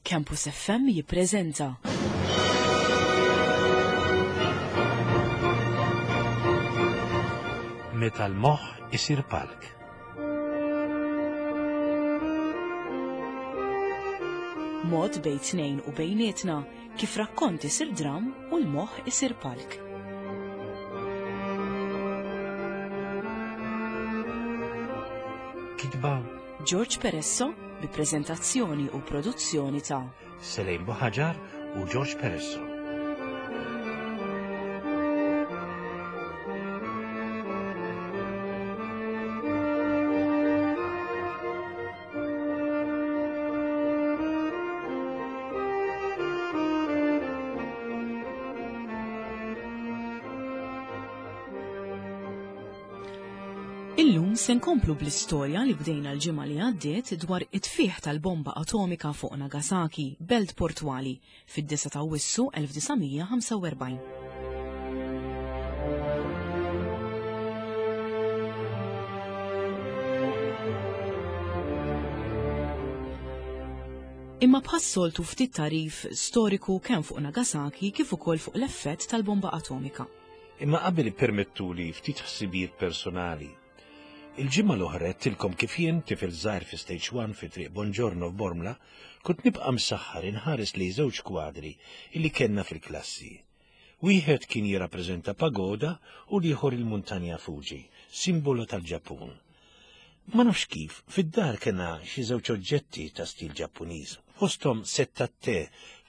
Campus FM jippreżenta. Meta l-moħħ isir palk. Mod bejn tnejn u bejnietna kif rakkont isir dram u l-moħħ isir palk. Kitba George Peresso bi preżentazzjoni u produzzjoni ta' Selejn Buħaġar u George Peresso. Illum se nkomplu bl-istorja li bdejna l-ġimgħa li għaddiet dwar it-tfih tal-bomba atomika fuq Nagasaki, belt portwali, fid-9 ta' Awwissu 1945. Imma bħas-soltu ftit tagħrif storiku kemm fuq Nagasaki kif ukoll fuq l-effett tal-bomba atomika. Imma qabel ippermettuli ftit ħsibijiet personali. Il-ġimgħa l-oħra għedtilkom kif jien, tifel żgħir fi Stage One fi Triq Bonġorno f'Bormla, kont nibqa' msaħħar inħares lejn żewġ kwadri illi kellna fil-klassi. Wieħed kien jirrappreżenta pagoda u l-ieħor il-muntanja Fuji, simbolu tal-Ġappun. Ma nafx kif, fid-dar kellna xi żewġ oġġetti ta' stil Ġappuniż, fosthom sett tat-te,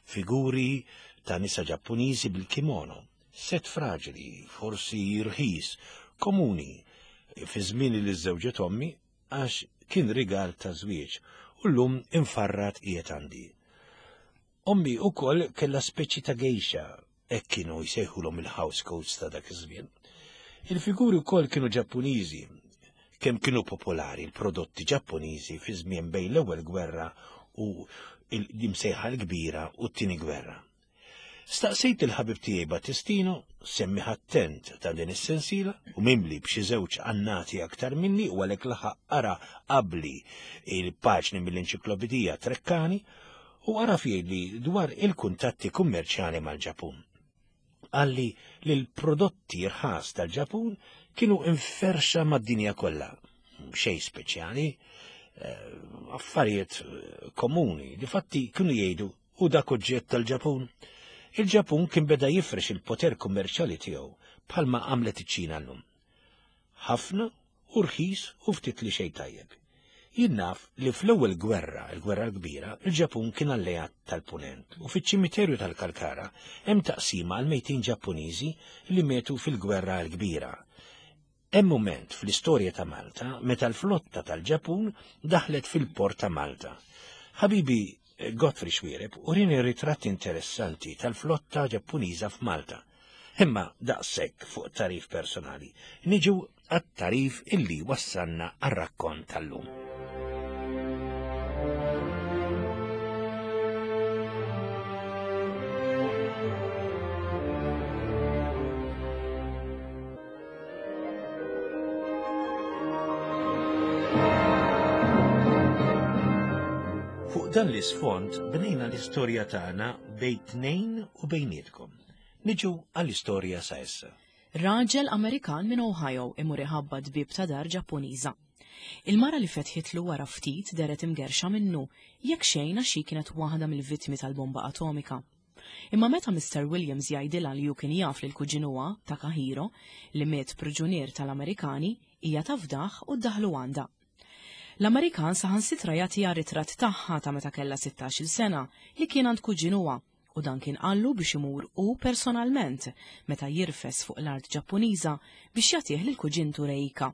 figuri ta' nisa Ġappuniżi bil-kimono. Sett fraġli, forsi rħis, komuni fi żmien li żżewġet ommi għax kien rigal ta' żwieġ u llum imfarrat qiegħed għandi. Ommi wkoll kellha speċi ta' gejxa, hekk kienu jsejħulhom il-house coats ta' dak iż-żmien. Il-figuri wkoll kienu Ġappuniżi, kemm kienu popolari l-prodotti Ġappuniżi fi żmien bejn l-ewwel gwerra u l-imsejħa l-kbira u t-tieni gwerra. Staqsejt il-ħabib tiegħi Battistino, semmiħ attent ta' din is-sensiela u mimli b'xi żewġ annati aktar minni u għalhekk laħaq qara qabli il-paġni mill-enċiklopedija Treccani u għaraf jgħidli dwar il-kuntatti kummerċjali mal-Ġapun. Qalli li l-prodotti rħas tal-Ġapun kienu inferxa mad-dinja kollha. Xejn speċjali, eh, affarijiet eh, komuni, difatti kienu jgħidu U dak oġġett tal-Ġapun? Il-Ġapun kien beda jifrex il-poter kummerċjali tiegħu bħalma għamlet iċ-Ċina llum. Ħafna u rħis u ftit li xejn tajjeb. Jien naf li fl-ewwel gwerra, il-gwerra l-kbira, il-Ġapun kien alleat tal-Punent u fiċ-ċimiterju tal-Kalkara hemm taqsima għal mejtin Ġappuniżi li mietu fil-gwerra l-kbira. Hemm mument fl-istorja ta' Malta meta l-flotta tal-Ġapun daħlet fil-port ta' Malta. Ħabibi eh, Godfrey Xuereb urini ritratt interessanti tal-flotta Ġappuniża f'Malta. Imma daqshekk fuq tarif personali. Niġu għat-tarif illi wassalna għar-rakkont tal-lum. Fuq dan l-isfond bnejna l-istorja tagħna bejn tnejn u bejnietkom. Niġu għall-istorja sa issa. Raġel Amerikan minn Ohio imur iħabbat bieb ta' dar Ġappuniża. Il-mara li fetħitlu wara ftit dehret imgerrxa minnu, jekk xejn għax hi kienet waħda mill-vittmi tal-bomba atomika. Imma meta Mister Williams jgħidilha li hu kien jaf lil kuġinuha, Takahiro, li miet priġunier tal-Amerikani, hija tafdah u ddaħħlu għandha. L-Amerikan saħansitra jagħtiha ritratt tagħha ta' meta kellha sittax-il sena li kien għand kuġinuha u dan kien qallu biex imur hu personalment meta jirfes fuq l-art Ġappuniża biex jagħtih lil kuġintu Reika.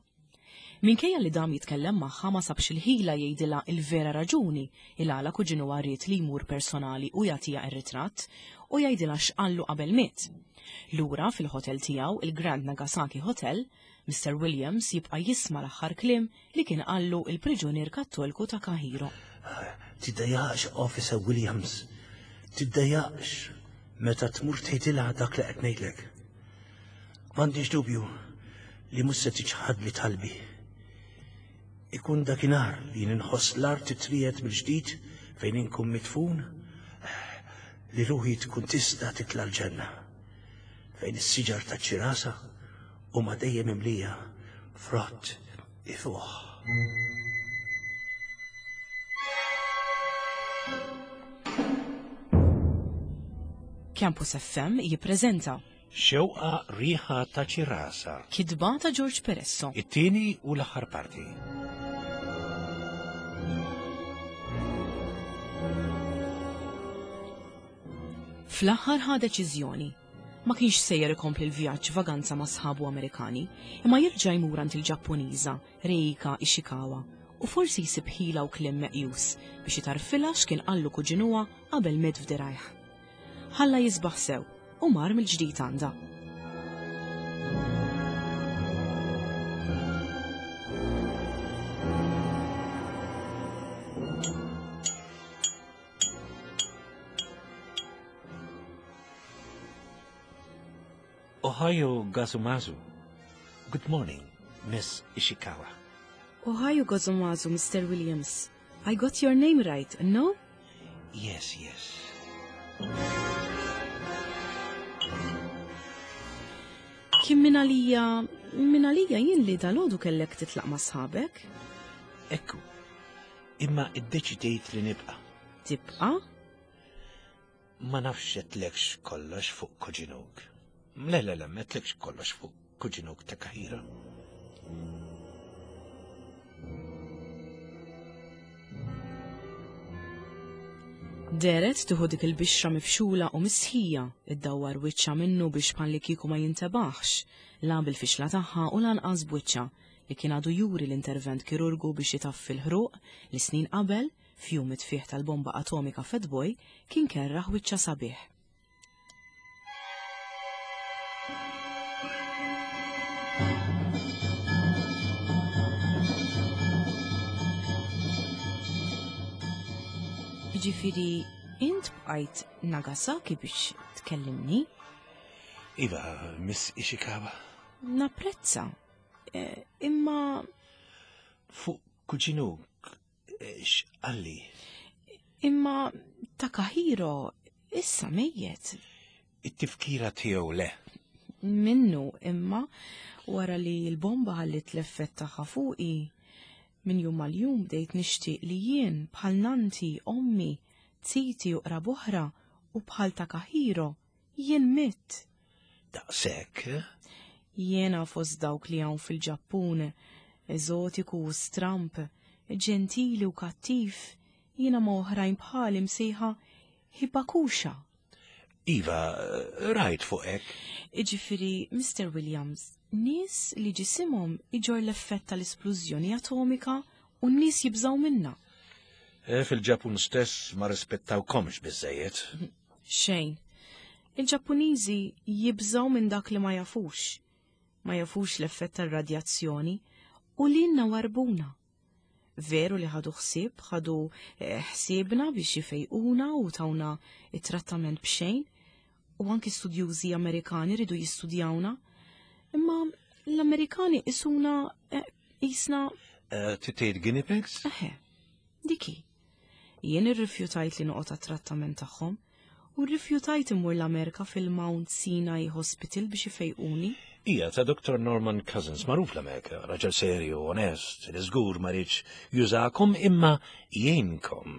Minkejja li dam jitkellem magħha ma sabx il-ħila jgħidilha il-vera raġuni il-għala kuġinuha ried li jmur personali u jagħtiha r-ritratt u jgħidilha x'qallu qabel miet. Lura fil-ħotel tiegħu, il-Grand Nagasaki Hotel, Mister Williams jibqa' jisma' l-aħħar kliem li kien qallu il-priġunier Kattolku Takahiro. Tiddejjaqx, Officer Williams. Tiddejjaqx meta tmur tgħidilha dak li qed ngħidlek. M'għandix dubju li mhux se tiċħadli talbi. Ikun dakinhar li jien inħoss l-art titriegħed mill-ġdid fejn inkun midfun. li ruħi tkun tista' titla' l-ġenna, fejn is-siġar taċ-ċirasa huma dejjem mimlija frott ifuħ. Campus FM jippreżenta Xewqa riħa ta' ċirasa. Kitba ta' George Peresso. It-tieni u l-aħħar parti. Fl-aħħar ħa deċiżjoni. Ma kienx sejjer ikompli l-vjaġġ vaganza ma' sħabu Amerikani, imma jerġa' jmur għand il-Ġappuniża Reika Ishikawa u forsi jsib ħila u kliem meqjus biex itarfilha x'kien qallu kuġinuha qabel miet f'dirgħajh. Ħalla jisbaħ sew u mar mill-ġdid għandha. Ohayo Gazumazu. Good morning, Miss Ishikawa. Ohayo Gazumazu, Mr. Williams. I got your name right, no? Yes, yes. Kien minn għalija, minn għalija jien li dalodu kellek titlaq ma' sħabek? Ekku, imma iddeċidejt li nibqa'. Tibqa'? Ma nafx għedtlekx kollox fuq kuġinuk. Le, le, le, m'għedtlekx kollox fuq kuġinuk ta' Kahira. Deret tieħu dik il-bixra mifxula u mistħija, iddawwar wiċċha minnu biex bħallikieku ma jintebaħx, la bil-fixla tagħha u lanqas b'wiċċha, li kien għadu juri l-intervent kirurgu biex itaffi l-ħruq li snin qabel, f'jum it-tfigħ tal-bomba atomika Fat Boy, kien kerraħ wiċċha sabiħ. Jiġifieri int bqajt Nagasaki biex tkellimni? Iva, Miss Ishikawa. Napprezza. Eh, imma. Fuq kuġinuk, x'qalli? Imma Takahiro issa mejjet. It-tifkira tiegħu le. Minnu imma wara li l-bomba ħallit l-effett tagħha fuqi, minn jum għal jum bdejt nixtieq li jien bħal nanti, ommi, ziti u qrab oħra u bħal Takahiro Jien mitt. Daqshekk? Jiena fost dawk li hawn fil-Ġappun, eżotiku u stramb, ġentili u kattiv, jiena ma' oħrajn bħali msejħa Hibakusha. Iva, rajt fuq hekk. Iġifieri, Mister Williams, nies li ġisimhom iġorr l-effett tal-isplużjoni atomika u n-nies jibżgħu minnha. Eh, fil-Ġappun stess ma rispettawkomx biżżejjed. Xejn. Il-Ġappuniżi jibżgħu minn dak li ma jafux. Ma jafux l-effett tar-radjazzjoni u lilna warbuna. Veru li ħadu ħsieb, ħadu eh, ħsiebna biex jifejquna u tawna it-trattament b'xejn, u anki studjużi Amerikani ridu jistudjawna, imma l-Amerikani isuna eh, jisna. Eh, Titejt guinea pigs? Eħe, diki. Jien irrifjutajt li noqgħod għat-trattament tagħhom u rrifjutajt immur l-Amerika fil-Mount Sinai Hospital biex ifejquni. Hija ta' Dr. Norman Cousins, magħruf l-Amerika, raġel serju, onest, li żgur ma riedx jużakom imma jgħinkom.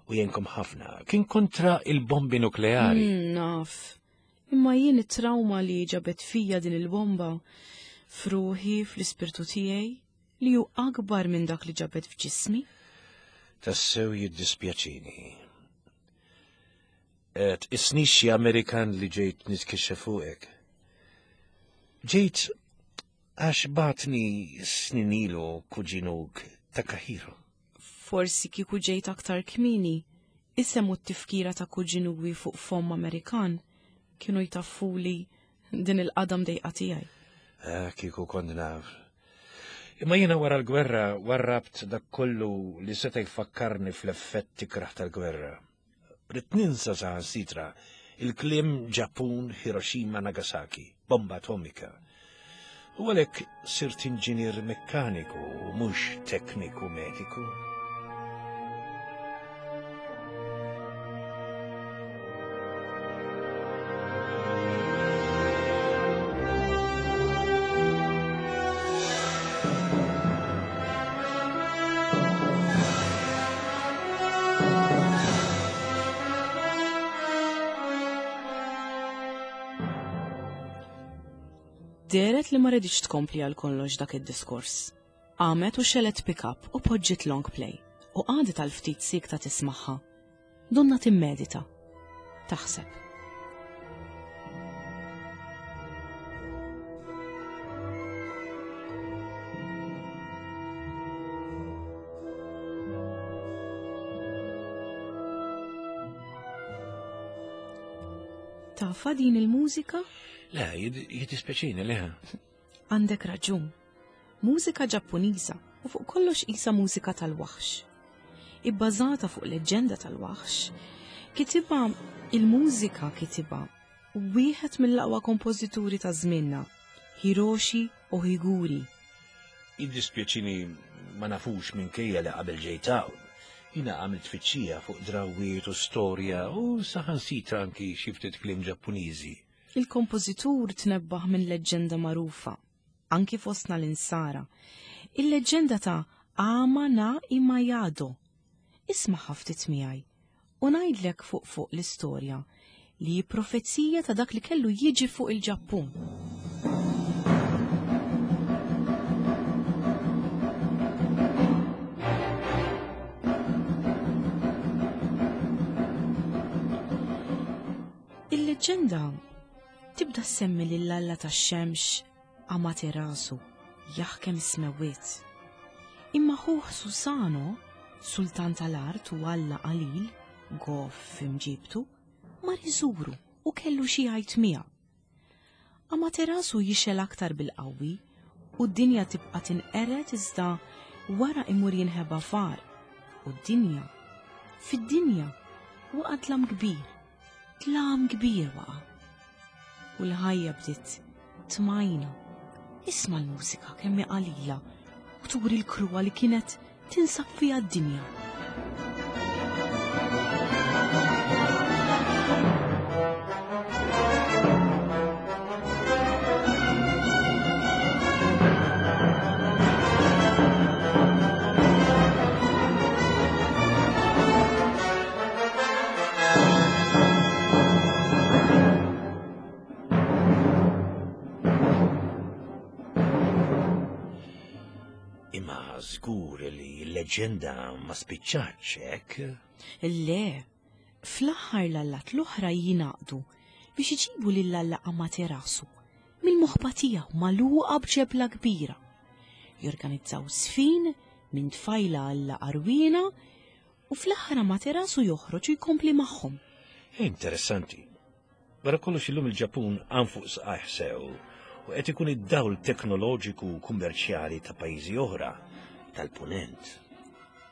U jgħinkom ħafna. Kien kontra il-bombi nukleari. Mm, naf. Imma jien it-trauma li ġabet fija din il-bomba f'ruħi, fl-ispirtu tiegħi, li hu akbar minn dak li ġabet f'ġismi? Tassew jiddispjaċini. Tqisnix xi Amerikan li ġejt nitkixxef fuqek. Ġejt għax batni snin ilu kuġinuk Takahiro. Forsi kieku ġejt aktar kmieni, isem u t-tifkira ta' kuġinuwi fuq fomm Amerikan kienu jtaffuli din il-qadam dejqa tiegħi. Eh, kieku kont naf. Imma jiena wara l-gwerra warrabt dak kollu li seta' jfakkarni fl-effett ikrah tal-gwerra. Ridt ninsa saħansitra il-kliem Ġappun, Hiroshima, Nagasaki, bomba atomika. U għalhekk sirt inġinier mekkaniku u mhux tekniku mediku. Dehret li ma riditx tkompli għal kollox dak id-diskors. Qamet u xegħlet pick-up u poġġiet long play u qagħdet għal ftit siekta tismagħha. Donnha timmedita. Taħseb. Tafa din il-mużika? Le, jiddispjaċini le. Għandek raġun. Mużika Ġappuniża u fuq kollox qisha mużika tal-waħx. Ibbażata fuq leġġenda tal-waħx, kitibha il-mużika kitibha wieħed mill-aqwa kompożituri ta' żmienna, Hiroshi Ohiguri. Jiddispjaċini ma nafux minkejja li qabel ġejt hawn. Jiena għamilt tfittxija fuq drawwiet u storja u saħansitra anki xi ftit kliem Ġappuniżi. Il-kompożitur tnebbaħ minn leġġenda magħrufa, anki fostna l-Insara, il-leġġenda ta' Ama na Imayado. Ismagħha ftit miegħi u ngħidlek fuq fuq l-istorja li hi profezija ta' dak li kellu jiġi fuq il-Ġappun. Il-leġġenda tibda ssemmi lil alla tax-xemx Amaterasu jaħkem is-smewwiet. Imma ħuh Susano, sultan tal-art u alla qalil, goff f'imġibtu, mar iżuru u kellu xi jgħid miegħu. Amaterasu jixgħel aktar bil-qawwi u d-dinja tibqa' tinqered iżda wara imur jinħeba f'għar u d-dinja, fid-dinja, waqa' dlam kbir, dlam kbir waqa'. U l-ħajja bdiet tmajna. Isma' l-mużika kemm hi qalila u turi l-kruha li kienet tinsab fiha d-dinja. Imma żgur li l-leġġenda ma spiċċatx hekk. Le, fl-aħħar l-allat l-oħra jingħaqdu biex iġibu lil Alla Amaterasu mill-moħba tiegħu magħluqa b'ġebla kbira. Jorganizzaw sfin minn tfajla Alla Arwina u fl-aħħar Amaterasu joħroġ u jkompli magħhom. Interessanti. Wara kollox illum il-Ġappun qam fuq saqajh sew u qed ikun id-dawl teknoloġiku u kummerċjali ta' pajjiżi oħra tal-Punent.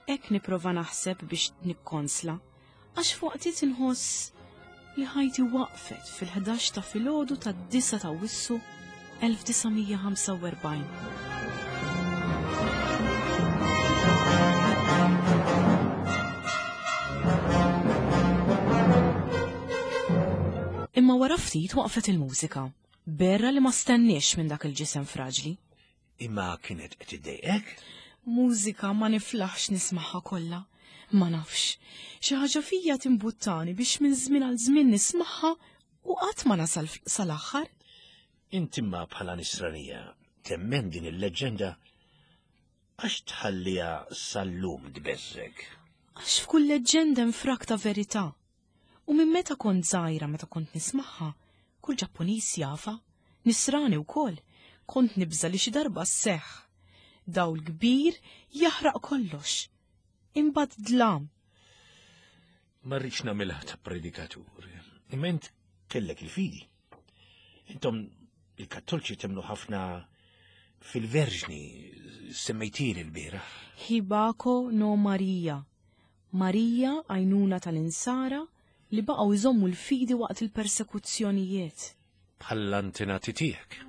Hekk nipprova naħseb biex nikkonsla, għax f'waqtiet inħoss li ħajti waqfet fil-ħdax ta' filgħodu tad-9 ta' Awwissu 1945. Imma wara ftit waqfet il-mużika. Berra li ma stenniex minn dak il-ġisem fraġli. Imma kienet qed iddejqek? Mużika ma niflaħx nismagħha kollha. Ma nafx. Xi ħaġa fija timbuttani biex minn żmien għal żmien nismagħha u qatt ma nasal sal-aħħar. Int imma bħala nisranija temmen din il-leġġenda għax tħalliha sal-lum tbeżżek. Għax f'kull leġġenda hemm frak ta' verità. U minn meta kont żgħira meta kont nismagħha, kull Ġappuniż jafha, nisrani wkoll, kont nibża' li xi darba sseħħ. Dawl kbir jaħraq kollox. Imbagħad dlam. Ma rridx nagħmilha ta' predikatur. Imma int kellek il-fidi. Intom il-Kattolċi temnu ħafna fil-Verġni semmejtili l-bieraħ. Hibako no Maria. Marija għajnuna tal-insara li baqgħu jżommu l-fidi waqt il-persekuzzjonijiet. Bħall-antenati tiegħek.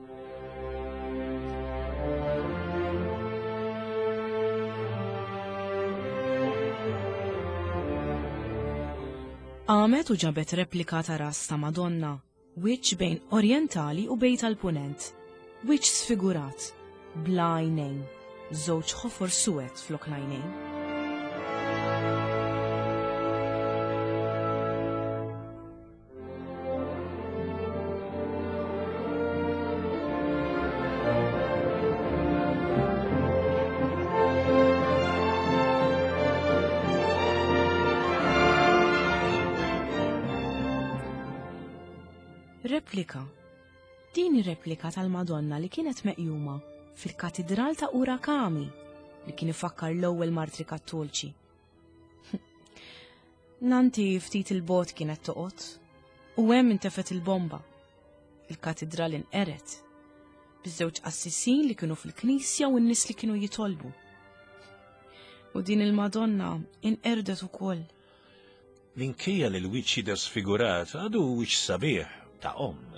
Qamet u ġabet replika ta' ras ta' Madonna, wiċċ bejn orjentali u bejn tal-punent, wiċċ sfigurat, bla għajnejn, żewġ ħofor suwed flok l-għajnejn. Replika. Din replika tal-Madonna li kienet meqjuma fil-Katidral ta' Urakami li kien ifakkar l-ewwel martri kattolċi. Nanti ftit il-bot kienet toqgħod u hemm intefet il-bomba. Il-katidral inqeret biż-żewġ qassisin li kienu fil-knisja u n-nies li kienu jitolbu. U din il-Madonna inqerdet ukoll. Minkejja li l-wiċċ jidher sfigurat, għadu wiċċ sabiħ ta' omm,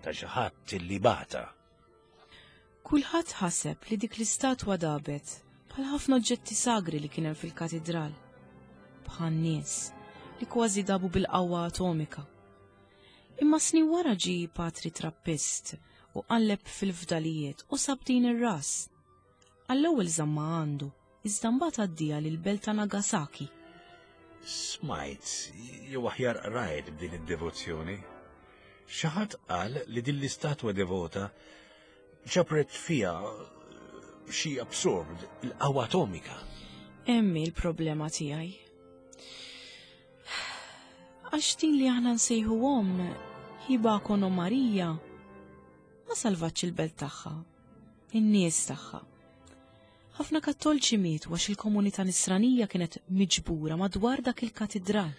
ta' xi ħadd li bata. Kulħadd ħaseb li dik l-istatwa dabet bħal ħafna oġġetti sagri li kien hemm fil-katidral. Bħal nies li kważi dabu bil-qawwa atomika. Imma snin wara ġie patri trappist u qalleb fil-fdalijiet u sab din ir-ras. Għall-ewwel żamma għandu, iżda mbagħad għaddieha lill-belt ta' Nagasaki. Smajt, jew aħjar qrajt b'din id-devozzjoni. Xi ħadd qal li din l-istatwa devota ġabret fiha xi absorbed il-qawwa atomika. Hemm hi l-problema tiegħi. Għax din li aħna nsejħu omm Hibako no Marija ma salvatx il-belt tagħha, in-nies tagħha. Ħafna kattolċi mietu għax il-komunità nisranija kienet miġbura madwar dak il-katidral.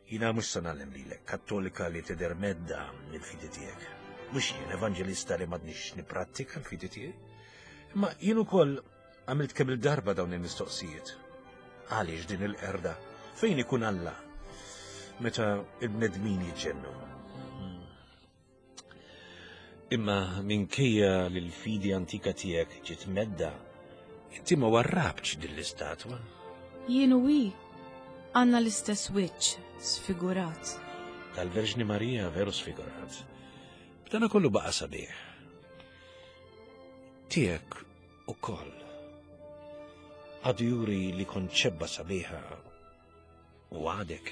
Jina mhux se nagħlem lilek, kattolika li tidher medda mill-fidi tiegħek. Mhux jien evanġelista li m'għadnix nipprattika l-fidi tiegħi. Imma jien ukoll għamilt kemm il-darba dawn il-mistoqsijiet. Għaliex din il-qerda? Fejn ikun Alla? Meta il-bnedmin jiġġennu. Imma minkejja li l-fidi antika tiegħek ġiet medda, inti ma warrabtx din l-istatwa. Jien u hi għandna l-istess wiċċ sfigurat. Tal-Verġni Marija veru sfigurat. B'dana kollu baqa' sabiħ. Tiegħek ukoll. Għadu juri li kont xebba sabiħa u għadek.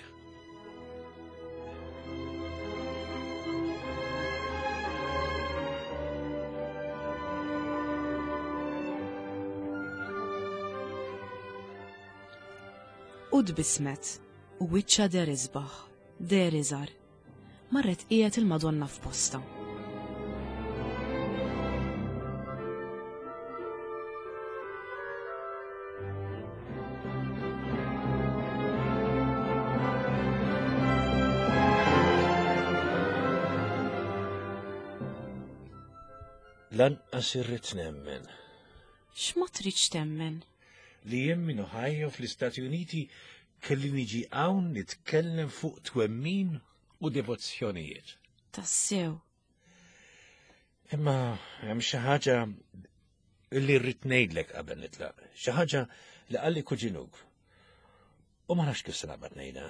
U tbissmet u wiċċha deher isbaħ, deher iżgħar. Marret qiegħed il-Madonna f'posta. Lanqas irrid nemmen. X'ma tridx temmen? Li jien minn Ohio fl-Istati Uniti kelli niġi hawn nitkellem fuq twemmin u devozzjonijiet. Tassew. Imma hemm xi ħaġa li rrid ngħidlek qabel nitlaq. Xi ħaġa li qalli kuġinuk. U ma nafx kif se naqbad ngħidha.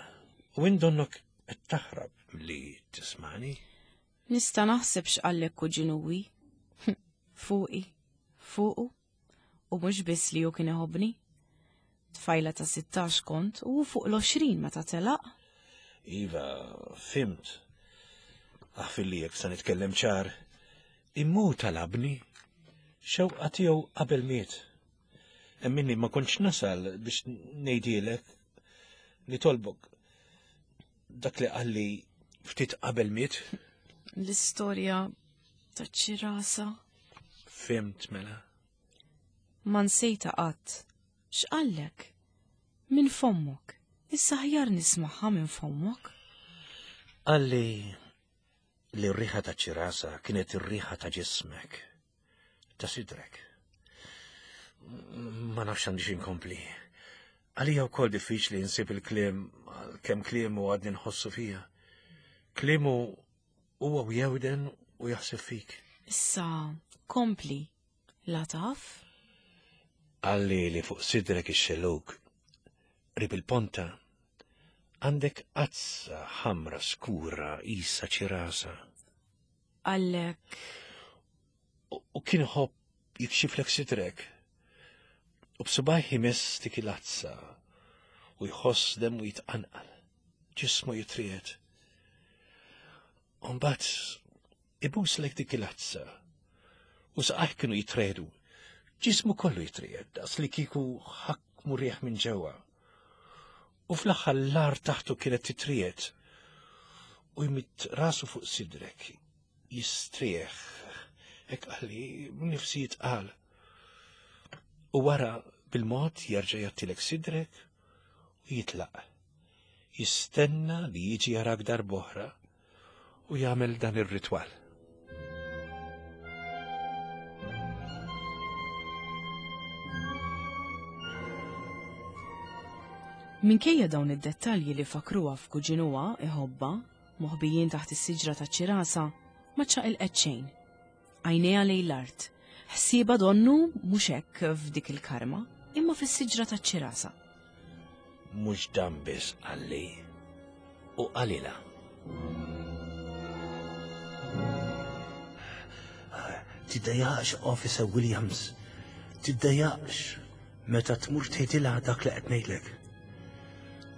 U indonnok qed taħrab li tismani. Nista' naħseb x'qallek kuġinuwi. Fuqi. Fuqu. U mhux biss li hu kien iħobbni. Tfajla ta' 16 kont u fuq l-20 meta telaq. Iva, fimt. Aħfilli jekk se nitkellem ċar. Immu talabni. Xewqa tiegħu qabel miet. Emminni ma kontx nasal biex ngħidilek nitolbok dak li qalli ftit qabel miet. L-istorja ta' ċirasa. Fimt mela. Ma nsejta qatt. X'qallek? Minn fommok. Issa ħjar nismagħha minn fommok. Qalli li r-riħa ta' ċirasa kienet ir-riħa ta' ġismek, ta' sidrek. Ma nafx għandix inkompli. Għalija wkoll diffiċli nsib il-kliem kemm kliem u għadni nħossu fija. Kliemu huwa u jewden u jaħseb fik. Issa, kompli, la taf? Qalli li fuq sidrek ix-xellug, qrib il-ponta, għandek qazza ħamra skura qisha ċirasa. Qallek. U kien iħobb jikxiflek sidrek. U b'subajh imiss dik il-azza u jħoss demmu jitqanqal, ġismu jitriegħed. U mbagħad ibuslek dik il-azza u saqajh kienu jitredu, ġismu kollu jitriegħed daqs li kieku ħakmu riħ minn ġewwa. U fl-aħħar l-art taħtu kienet titriegħed. U jmidd rasu fuq sidrek, jistrieħ, hekk qalli nifsi jitqal. U wara bil-mod jerġa' jgħattilek sidrek u jitlaq. Jistenna li jiġi jarak darb'oħra u jagħmel dan ir-ritwal. Minkejja dawn id-dettalji li fakruha f'kuġinuha iħobbha, moħbijin taħt is-siġra taċ-ċirasa, ma ċċaqilqet xejn. Għajnejha lejn l-art, ħsiebha donnu mhux hekk f'dik il-karma, imma fis-siġra taċ-ċirasa. Mhux dan biss qalli u qalilha. Tiddejjaqx, Officer Williams. Tiddejjaqx meta tmur tgħidilha dak li qed ngħidlek.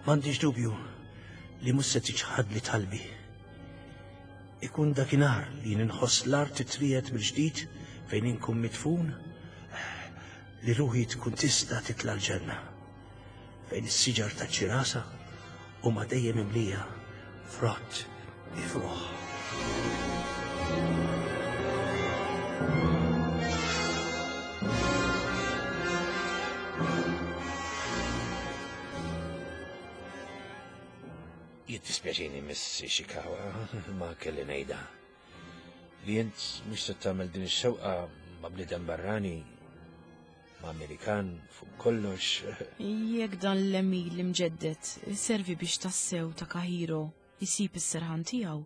M'għandix dubju li mhux se tiċħadli talbi. Ikun dakinhar li jien inħoss l-art titriegħed mill-ġdid fejn inkun midfun, li ruħi tkun tista' titla' l-ġenna, fejn is-siġar taċ-ċirasa huma dejjem imlija frott ifuħ. Jiddispjaċini Miss Ishikawa, ma kelli ngħidha. Li int mhux se tagħmel din ix-xewqa ma' bniedem barrani, ma' Amerikan fuq kollox. Jekk dan l-emil imġedded iservi biex tassew Takahiro jsib is-serħan tiegħu,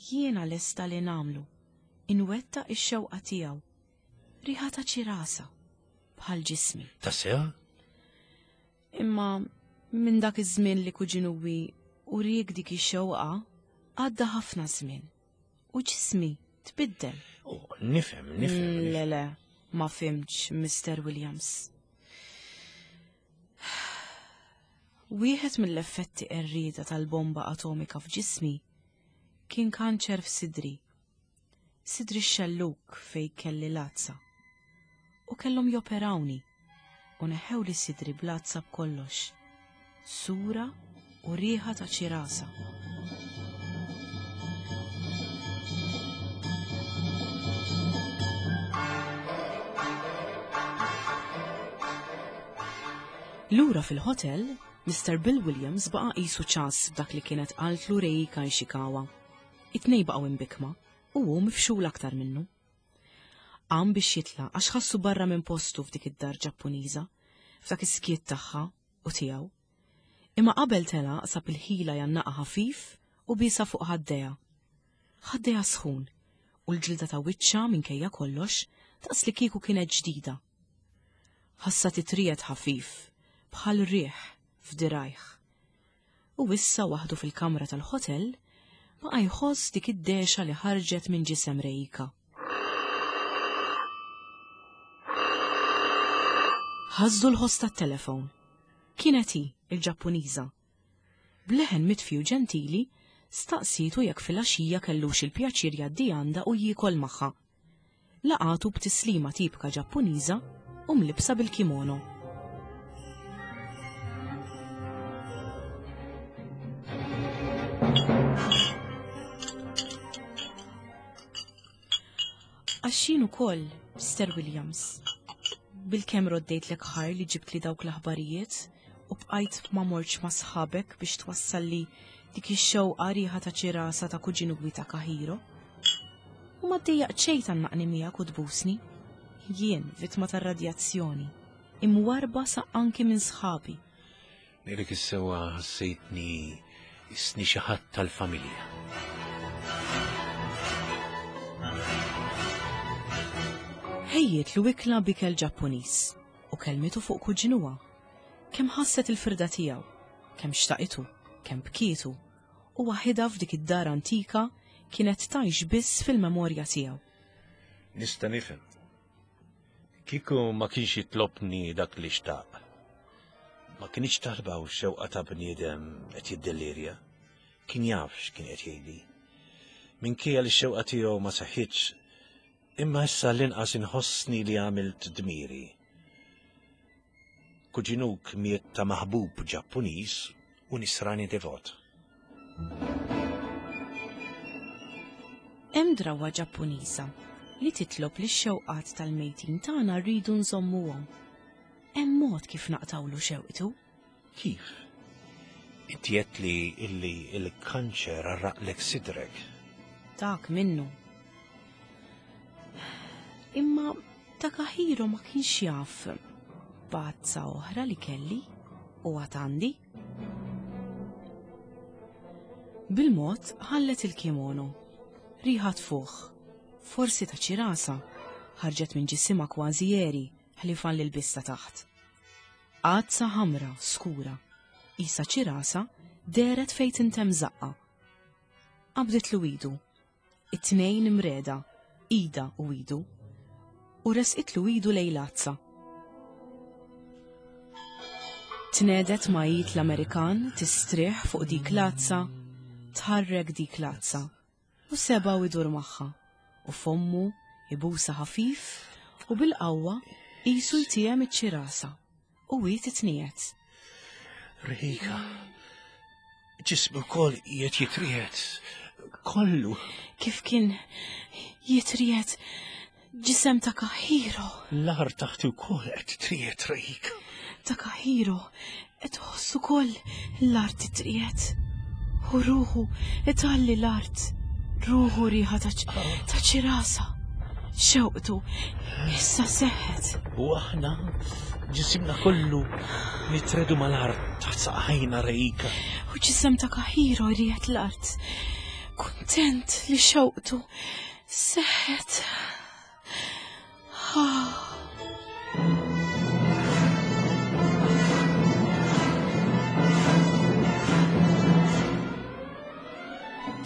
jiena lesta li nagħmlu, inwettaq ix-xewqa tiegħu. Riħa ta' ċirasa, bħal ġismi. Tassew? Imma minn dak iż-żmien li kuġinuwi uriek dik ix-xewqa għadda ħafna żmien u ġismi tbiddel. Oh, nifhem, nifhem. Mm, le, le, ma fimtx, Mr. Williams. Wieħed mill-effetti qerrieda tal-bomba atomika f'ġismi kien kanċer f'sidri. Sidri x-xellug fejn kelli l-għadsa. U kellhom joperawni u neħħewli sidri bl-għadsa b'kollox. Sura u riħa ta' ċirasa. Lura fil-hotel, Mr. Bill Williams baqa' qisu ċass b'dak li kienet qaltlu Reika Ishikawa. It-tnejn baqgħu imbikkma u hu mifxul aktar minnu. Qam biex jitlaq għax ħassu barra minn postu f'dik id-dar Ġappuniża, f'dak is-skiet tagħha u tiegħu. Imma qabel telaq sab il-ħila jgħannaqha ħafif u biesha fuq ħaddejha. Ħaddejha sħun u l-ġilda ta' wiċċha minkejja kollox daqs li kieku kienet ġdida. Ħassha titriegħed ħafif bħal riħ f'dirgħajh. U issa waħdu fil-kamra tal-ħotel baqa' jħoss dik id-dehxa li ħarġet minn ġisem Reika. Ħażżu l-ħoss tat-telefon. Kienet hi, il-Ġappuniża. B'leħen mitfi u ġentili, staqsietu jekk filgħaxija kellux il-pjaċir jgħaddi għandha u jiekol magħha. Laqgħatu b'tislima tipika Ġappuniża u mlibbsa bil-kimono. Għax jien ukoll, Mr. Williams, bilkemm roddejtlek ħajr li ġibtli dawk l-aħbarijiet u bqajt ma mortx ma' sħabek biex twassalli dik ix-xewqa riħa ta' ċirasa ta' kuġinuwi ta' Kahiro. U ma ddejjaqt xejn tgħannaqni miegħek u tbusni. Jien, vittma tar-radjazzjoni, imwarrba sa anki minn sħabi. Ngħidlek is-sewwa ħassejtni isni xi ħadd tal-familja. Ħejjietlu ikla b'ikel Ġappuniż u kellmitu fuq kuġinuha. Kemm ħasset il-firda tiegħu, kemm xtaqitu, kemm bkietu, u waħidha f'dik id-dar antika kienet tgħix biss fil-memorja tiegħu. Nista' nifhem. Kieku ma kienx jitlobni dak li xtaq. Ma kinitx talba u xewqa ta' bniedem qed jiddellirja. Kien jaf x'kien qed jgħidli. Minkejja li x-xewqa tiegħu ma seħħitx, imma issa l-inqas inħossni li għamilt dmiri. Kuġinuk miet ta' maħbub Ġappuniż u nisrani devot. Hemm drawwa Ġappuniża li titlob li x-xewqat tal-mejtin tagħna rridu nżommuhom. Hemm mod kif naqtgħulu xewqtu. Kif? Inti għedt li illi l-kanċer għarraqlek sidrek. Dak minnu. Imma Takahiro ma kienx jaf b'għadsa oħra li kelli u għad għandi. Bil-mod ħallet il-kimono. Riħa tfuħ, forsi ta' ċirasa, ħarġet minn ġisimha kważi għeri ħlief għall-ilbies ta' taħt. Għadsa ħamra skura, qisha ċirasa, dehret fejn tintemm żaqqa. Qabditlu idu It-tnejn imreda, idha u idu, u resqitlu idu lejn l-għadsa. Tnedet ma' id l-Amerikan tistrieħ fuq dik l-għadsa, tħarrek dik l-għadsa, u sebgħu idur magħha, u fommu ibusha ħafif u bil-qawwa qisu jtiehem iċ-ċirasa. U hi titniegħed. Rika, ġismi wkoll qiegħed jitriegħed. Kollu. Kif kien jitriegħed ġisem ta' Kahiro. L-art taħti wkoll qed titriegħed, Rika. Ta' Kahiro qed tħoss ukoll l-art titriegħed. U ruħu italli l-art. Ruħu riħa ta' ċirasa. Xewqtu issa seħħet. U aħna ġisimna kollu nitredu mal-art taħt saqajna rejka. U ġisem ta' Kahiro jriegħed l-art. Kuntent li xewqtu seħħet.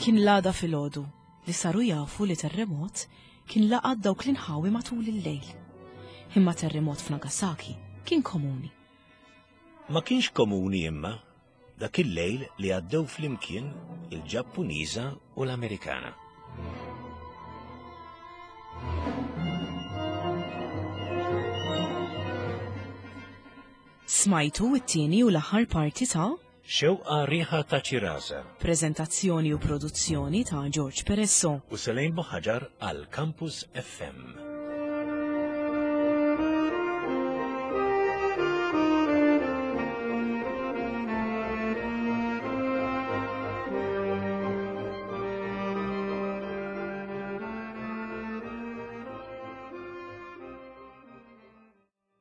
Kien l-għada filgħodu li saru jafu li terremot kien laqat dawk l-inħawi matul il-lejl. Imma terremot f'Nagasaki kien komuni. Ma kienx komuni imma dak il-lejl li għaddew flimkien il-Ġappuniża u l-Amerikana. Smajtu it-tieni u l-aħħar parti ta' Xewqa Riħa ta' Ċirasa. Preżentazzjoni u produzzjoni ta' George Peresso. U Selene Buħaġar għal Campus FM.